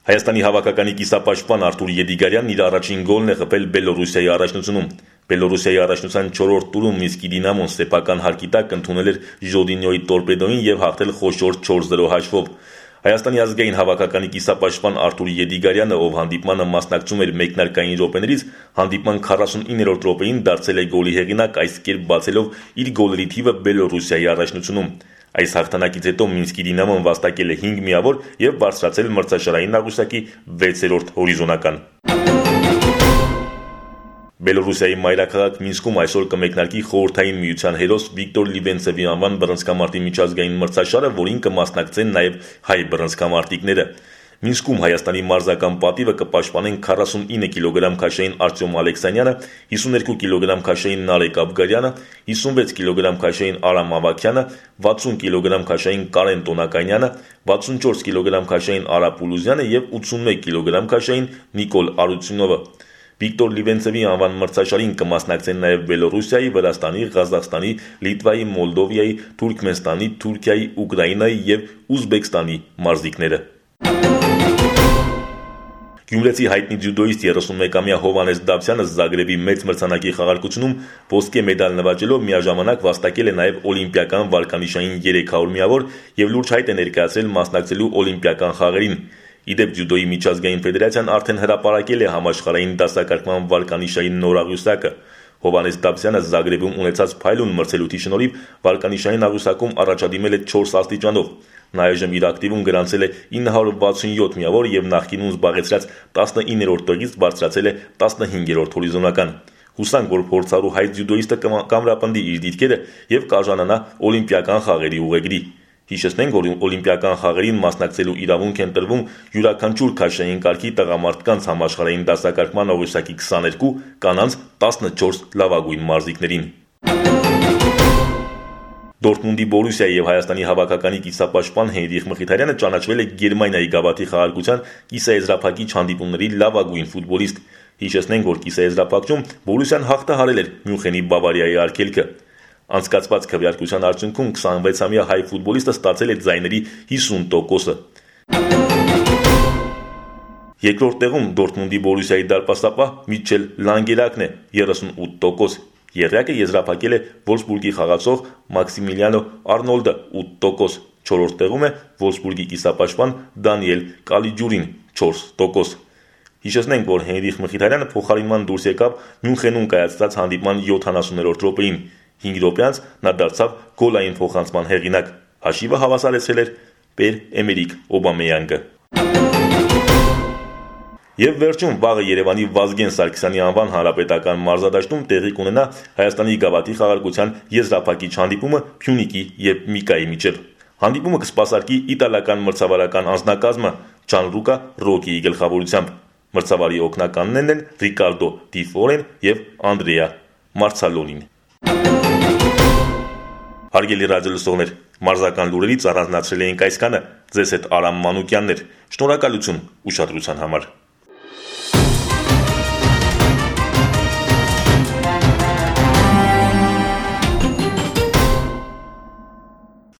Հայաստանի հավաքականի կիսապաշտպան Արթուր Եդիգարյանն իր առաջին գոլն է խփել Բելոռուսիայի առաջնությունում։ Բելոռուսիայի առաջնության 4-րդ տուրում Մինսկի Դինամոն սեփական հարկի տակ ընդունել էր Ժոդինյոյի Տորպեդոին եւ հաղթել խոշոր 4-0 հաշվով։ Հայաստանի ազգային հավաքականի կիսապաշտպան Արթուր Եդիգարյանը, ով հանդիպմանը մասնակցում էր մեկնարկային րոպեներից, հանդիպման 49-րդ րոպեին դարձել է գոլի հեղինակ, այս կերպ բացելով իր գոլերի թիվը Բելոռուսիայի առաջնությունում։ Այս հաղթանակից հետո Մինսկի Դինամոն վաստակել է 5 միավոր եւ բարձրացել մրցաշարային աղյուսակի 6-րդ հորիզոնական։ Բելոռուսիայի մայրաքաղաք Մինսկում այսօր կմեկնարկի խորհրդային միության հերոս Վիկտոր Լիվենցևի անվան բռնցքամարտի միջազգային մրցաշարը, որին կմասնակցեն նաեւ հայ բռնցքամարտիկները։ Մինսկում Հայաստանի մարզական պատիվը կպաշտպանեն 49 կիլոգրամ քաշային Արտյոմ Ալեքսանյանը, 52 կիլոգրամ քաշային Նարեկ Աբգարյանը, 56 կիլոգրամ քաշային Արամ Ավակյանը, 60 կիլոգրամ քաշային Կարեն Տոնականյանը, 64 կիլոգրամ քաշային Արա Պուլուզյանը եւ 81 կիլոգրամ քաշային Նիկոլ Արությունովը։ Վիկտոր Լիվենցևի անվան մրցաշարին կմասնակցեն նաև Բելոռուսիայի, Վրաստանի, Ղազախստանի, Լիտվայի, Մոլդովիայի, Թուրքմենստանի, Թուրքիայի, Ուկրաինայի եւ Ուզբեկստանի մարզիկները։ Գյումրեցի հայտնի ձյուդոիստ 31-ամյա Հովհաննես Դավթյանը Զագրեբի մեծ մրցանակի խաղարկությունում ոսկե մեդալ նվաճելով միաժամանակ վաստակել է նաև օլիմպիական վարկանիշային 300 միավոր եւ լուրջ հայտ է ներկայացրել մասնակցելու օլիմպիական խաղերին։ Իդեպ ձյուդոյի միջազգային ֆեդերացիան արդեն հրապարակել է համաշխարհային դասակարգման վարկանիշային նոր աղյուսակը։ Հովհաննես Դավթյանը Զագրեբում ունեցած փայլուն մրցելույթի շնորհիվ վարկանիշային աղյուսակում առաջադիմել է 4 աստիճանով։ Նա այժմ իր ակտիվում գրանցել է 967 միավոր եւ նախկինում զբաղեցրած 19-րդ տեղից բարձրացել է 15-րդ հորիզոնական։ Հուսանք, որ փորձառու հայ ձյուդոիստը կամրապնդի իր դիրքերը եւ կարժանանա օլիմպիական խաղերի ուղեգրի։ Հիշեցնենք, որ օլիմպիական խաղերին մասնակցելու իրավունք են տրվում յուրաքանչյուր քաշային կարգի տղամարդկանց համաշխարհային դասակարգման աղյուսակի 22, կանանց 14 լավագույն մարզիկներին։ Դորտմունդի Բորուսիայի եւ Հայաստանի հավաքականի կիսապաշտպան Հենրիխ Մխիթարյանը ճանաչվել է Գերմանիայի գավաթի խաղարկության կիսաեզրափակիչ հանդիպումների լավագույն ֆուտբոլիստ։ Հիշեցնենք, որ կիսաեզրափակչում Բորուսիան հաղթահարել էր Մյունխենի Բավարիայի արգելքը։ Անցկացված քվեարկության արդյունքում 26-ամյա հայ ֆուտբոլիստը ստացել է ձայների 50%-ը։ Երկրորդ տեղում Դորտմունդի Բորուսիայի դարպասապահ Միչել Լանգերակն է 38%։ Եռյակը եզրափակել է Վոլֆսբուրգի խաղացող Մաքսիմիլիանո Արնոլդը 8%։ Չորրորդ տեղում է Վոլֆսբուրգի կիսապաշտպան Դանիել Կալիջուրին 4%։ Հիշեցնենք, որ Հենրիխ Մխիթարյանը փոխարինման դուրս եկավ Մյունխենում կայացած հանդիպման 70-րդ րոպեին։ 5 րոպե անց նա դարձավ գոլային փոխանցման հեղինակ։ Հաշիվը հավասարեցրել էր Պեր-Էմերիկ Օբամեյանգը։ Եվ վերջում վաղը Երևանի Վազգեն Սարգսյանի անվան հանրապետական մարզադաշտում տեղի կունենա Հայաստանի գավաթի խաղարկության եզրափակիչ հանդիպումը Փյունիկի եւ Միկայի միջև։ Հանդիպումը կսպասարկի իտալական մրցավարական անձնակազմը Ջանլուկա Ռոկիի գլխավորությամբ։ Մրցավարի օգնականներն են Ռիկարդո Դի Ֆորեն եւ Անդրեա Մարցալոնին։ Հարգելի ռադիոլսողներ, մարզական լուրերից առանձնացրել էինք այսքանը։ Ձեզ հետ Արամ Մանուկյանն էր։ Շնորհակալություն ուշադրության համար։